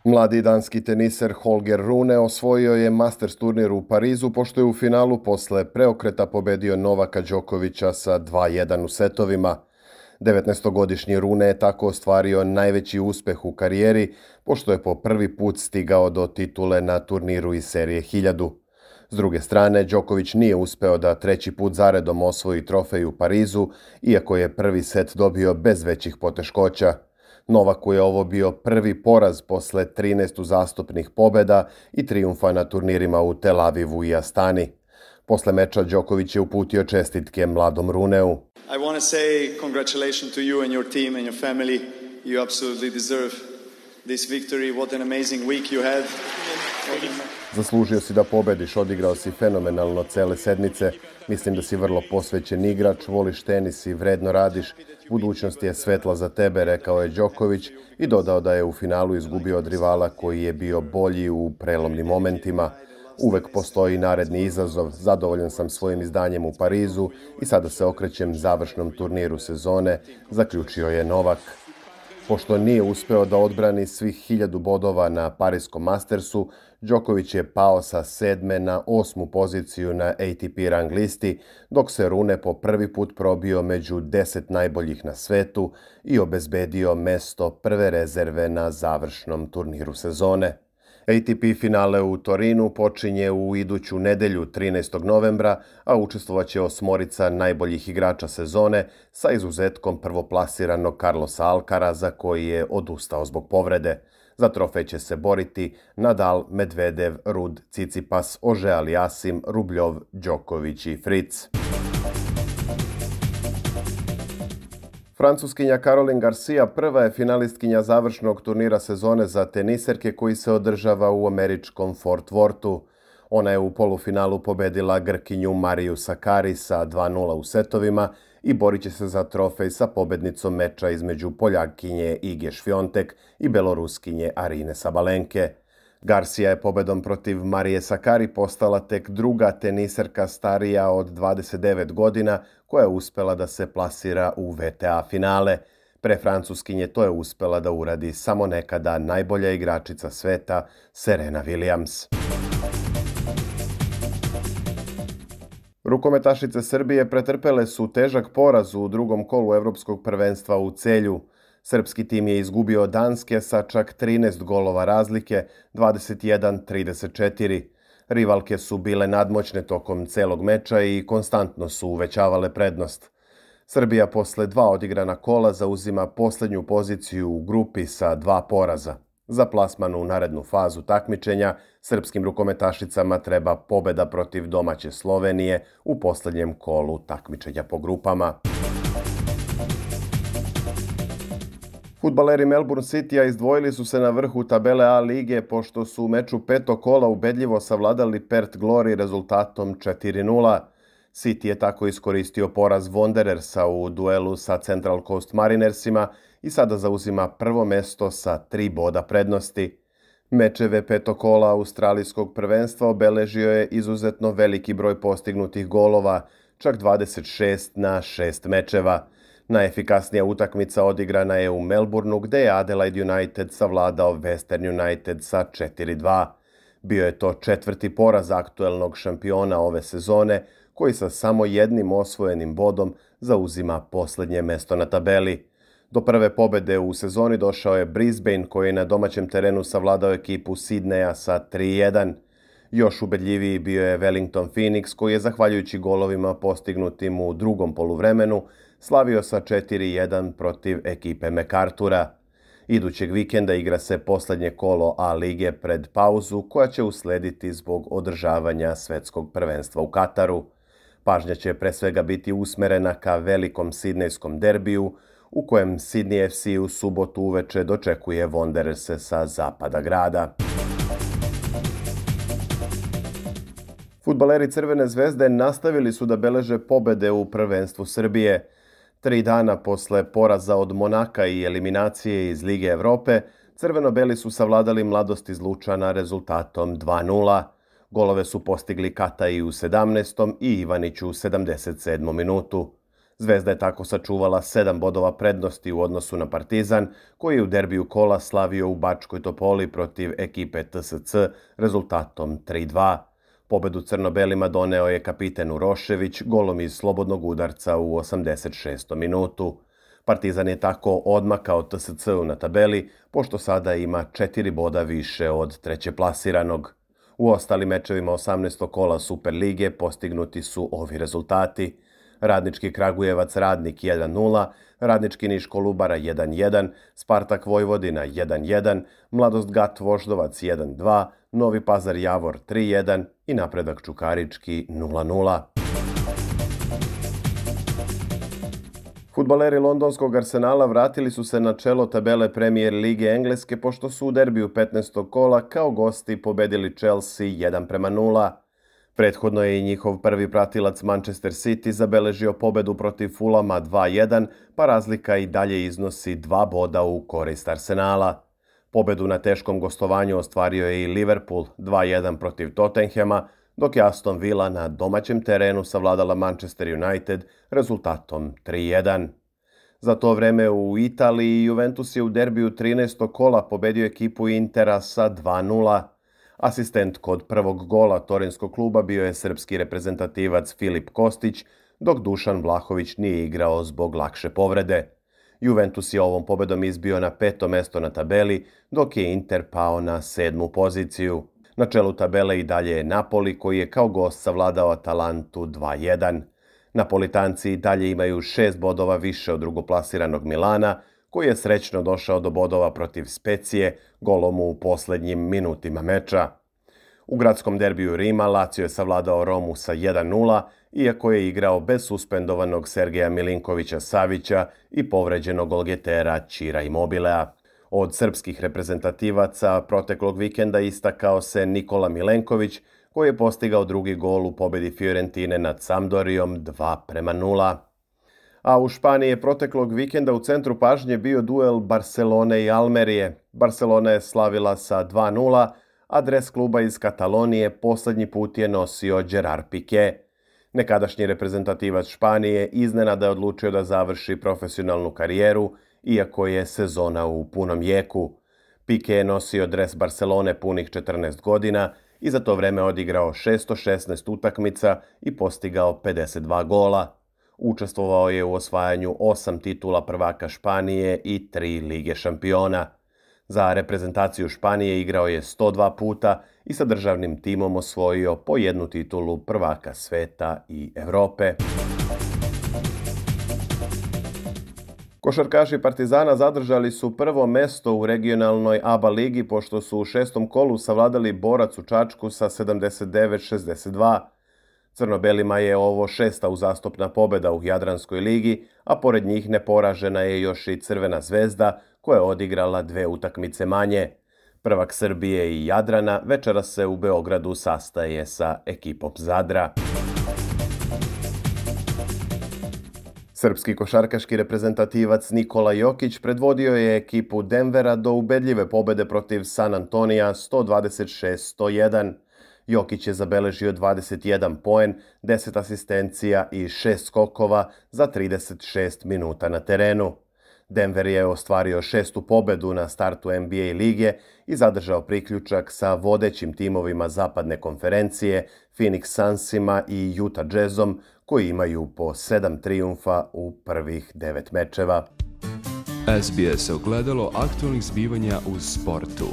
Mladi danski teniser Holger Rune osvojio je Masters turnir u Parizu pošto je u finalu posle preokreta pobedio Novaka Đokovića sa 2:1 u setovima. 19-godišnji Rune je tako ostvario najveći uspeh u karijeri pošto je po prvi put stigao do titule na turniru iz serije 1000. S druge strane, Đoković nije uspeo da treći put zaredom osvoji trofej u Parizu, iako je prvi set dobio bez većih poteškoća. Novaku je ovo bio prvi poraz posle 13 uzastopnih pobeda i trijumfa na turnirima u Tel Avivu i Astani. Posle meča Đoković je uputio čestitke mladom Runeu. I want to say congratulations to you and your team and your family. You absolutely deserve this victory. What an amazing week you had. Zaslužio si da pobediš, odigrao si fenomenalno cele sedmice. Mislim da si vrlo posvećen igrač, voliš tenis i vredno radiš. Budućnost je svetla za tebe, rekao je Đoković i dodao da je u finalu izgubio od rivala koji je bio bolji u prelomnim momentima. Uvek postoji naredni izazov, zadovoljan sam svojim izdanjem u Parizu i sada se okrećem završnom turniru sezone, zaključio je Novak. Pošto nije uspeo da odbrani svih 1000 bodova na Pariskom Mastersu, Đoković je pao sa 7. na 8. poziciju na ATP rang listi, dok se Rune po prvi put probio među 10 najboljih na svetu i obezbedio mesto prve rezerve na završnom turniru sezone. ATP finale u Torinu počinje u iduću nedelju 13. novembra, a učestvovaće 8 najboljih igrača sezone sa izuzetkom prvoplasiranog Carlosa Alcaraza koji je odustao zbog povrede. Za trofej će se boriti Nadal, Medvedev, Rud, Tsitsipas, Auger-Aliassime, Rubljov, Đoković i Fritz. Francuskinja Caroline Garcia prva je finalistkinja završnog turnira sezone za teniserke koji se održava u američkom Fort Worthu. Ona je u polufinalu pobedila Grkinju Mariju Sakkari sa 2:0 u setovima i borit će se za trofej sa pobednicom meča između Poljakinje Ige Šviontek i Beloruskinje Arine Sabalenke. Garcia je pobedom protiv Marije Sakkari postala tek druga teniserka starija od 29 godina koja je uspela da se plasira u WTA finale. Pre Francuskinje to je uspela da uradi samo nekada najbolja igračica sveta Serena Williams. Rukometašice Srbije pretrpele su težak poraz u drugom kolu Evropskog prvenstva u Celju. Srpski tim je izgubio od Danske sa čak 13 golova razlike, 21-34. Rivalke su bile nadmoćne tokom celog meča i konstantno su uvećavale prednost. Srbija posle 2 odigrana kola zauzima poslednju poziciju u grupi sa 2 poraza. Za plasman u narednu fazu takmičenja srpskim rukometašicama treba pobeda protiv domaće Slovenije u poslednjem kolu takmičenja po grupama. Fudbaleri Melbourne Citya izdvojili su se na vrhu tabele A lige pošto su u meču 5. kola ubedljivo savladali Perth Glory rezultatom 4:0. City je tako iskoristio poraz Wanderersa u duelu sa Central Coast Marinersima i sada zauzima prvo mesto sa 3 boda prednosti. Mečeve 5. kola australijskog prvenstva obeležio je izuzetno veliki broj postignutih golova, čak 26 na 6 mečeva. Najefikasnija utakmica odigrana je u Melbourneu gde je Adelaide United savladao Western United sa 4:2. Bio je to 4. poraz aktuelnog šampiona ove sezone koji sa samo jednim osvojenim bodom zauzima poslednje mesto na tabeli. Do prve pobede u sezoni došao je Brisbane koji je na domaćem terenu savladao ekipu Sidneja sa 3:1. Još ubedljiviji bio je Wellington Phoenix koji je zahvaljujući golovima postignutim u drugom poluvremenu slavio sa 4:1 protiv ekipe MacArthura. Idućeg vikenda igra se poslednje kolo A lige pred pauzu koja će uslediti zbog održavanja svetskog prvenstva u Kataru. Pažnja će pre svega biti usmerena ka velikom sidnejskom derbiju u kojem Sydney FC u subotu uveče dočekuje Wandererse sa zapada grada. Fudbaleri Crvene zvezde nastavili su da beleže pobede u prvenstvu Srbije. 3 dana posle poraza od Monaka i eliminacije iz Lige Evrope, crveno-beli su savladali Mladost iz Lučana rezultatom 2:0. Golove su postigli Katai u 17. i Ivanić u 77. minutu. Zvezda je tako sačuvala 7 bodova prednosti u odnosu na Partizan, koji je u derbiju kola slavio u Bačkoj Topoli protiv ekipe TSC rezultatom 3:2. Pobedu crno-belima doneo je kapiten Urošević golom iz slobodnog udarca u 86. minutu. Partizan je tako odmakao TSC-u na tabeli, pošto sada ima 4 boda više od treće plasiranog. U ostalim mečevima 18. kola Superlige postignuti su ovi rezultati. Radnički Kragujevac Radnik 1:0, Radnički Niš Kolubara 1:1, Spartak Vojvodina 1:1, Mladost Gat Voždovac 1:2, Novi Pazar Javor 3:1 i Napredak Čukarički 0:0. Fudbaleri londonskog Arsenala vratili su se na čelo tabele Premier lige Engleske pošto su u derbiju 15. kola kao gosti pobedili Chelsea 1:0. Prethodno je i njihov prvi pratilac Manchester City zabeležio pobedu protiv Fulama 2:1, pa razlika i dalje iznosi 2 boda u korist Arsenala. Pobedu na teškom gostovanju ostvario je i Liverpool 2:1 protiv Tottenhama, dok je Aston Villa na domaćem terenu savladala Manchester United rezultatom 3:1. Za to vreme u Italiji Juventus je u derbiju 13. kola pobedio ekipu Intera sa 2:0. Asistent kod prvog gola torinskog kluba bio je srpski reprezentativac Filip Kostić, dok Dušan Vlahović nije igrao zbog lakše povrede. Juventus je ovom pobedom izbio na 5. mesto na tabeli, dok je Inter pao na 7. poziciju. Na čelu tabele i dalje je Napoli, koji je kao gost savladao Atalantu 2:1. Napolitanci i dalje imaju 6 bodova više od drugoplasiranog Milana, koji je srećno došao do bodova protiv Specije golom u poslednjim minutima meča. U gradskom derbiju Rima Lazio je savladao Romu sa 1:0, iako je igrao bez suspendovanog Sergeja Milinkovića Savića i povređenog golgetera Ćira Immobilea. Od srpskih reprezentativaca proteklog vikenda istakao se Nikola Milenković, koji je postigao drugi gol u pobedi Fiorentine nad Sampdorijom 2:0. A u Španiji je proteklog vikenda u centru pažnje bio duel Barcelone i Almerije. Barcelona je slavila sa 2:0, a dres kluba iz Katalonije poslednji put je nosio Gerard Piqué. Nekadašnji reprezentativac Španije iznenada je odlučio da završi profesionalnu karijeru, iako je sezona u punom jeku. Piqué je nosio dres Barcelone punih 14 godina i za to vreme odigrao 616 utakmica i postigao 52 gola. Učestvovao je u osvajanju 8 titula prvaka Španije i 3 Lige šampiona. Za reprezentaciju Španije igrao je 102 puta i sa državnim timom osvojio po 1 titulu prvaka sveta i Evrope. Košarkaši Partizana zadržali su prvo mesto u regionalnoj ABA ligi pošto su u 6. kolu savladali Borac u Čačku sa 79-62. Crno-belima je ovo 6. uzastopna pobeda u Jadranskoj ligi, a pored njih neporažena je još i Crvena zvezda koja je odigrala 2 utakmice manje. Prvak Srbije i Jadrana večeras se u Beogradu sastaje sa ekipom Zadra. Srpski košarkaški reprezentativac Nikola Jokić predvodio je ekipu Denvera do ubedljive pobede protiv San Antonija 126-101. Jokić je zabeležio 21 poen, 10 asistencija i 6 skokova za 36 minuta na terenu. Denver je ostvario 6. pobedu na startu NBA lige i zadržao priključak sa vodećim timovima zapadne konferencije, Phoenix Sunsima i Utah Jazzom, koji imaju po 7 trijumfa u prvih 9 mečeva. SBS ogledalo aktualnih zbivanja u sportu.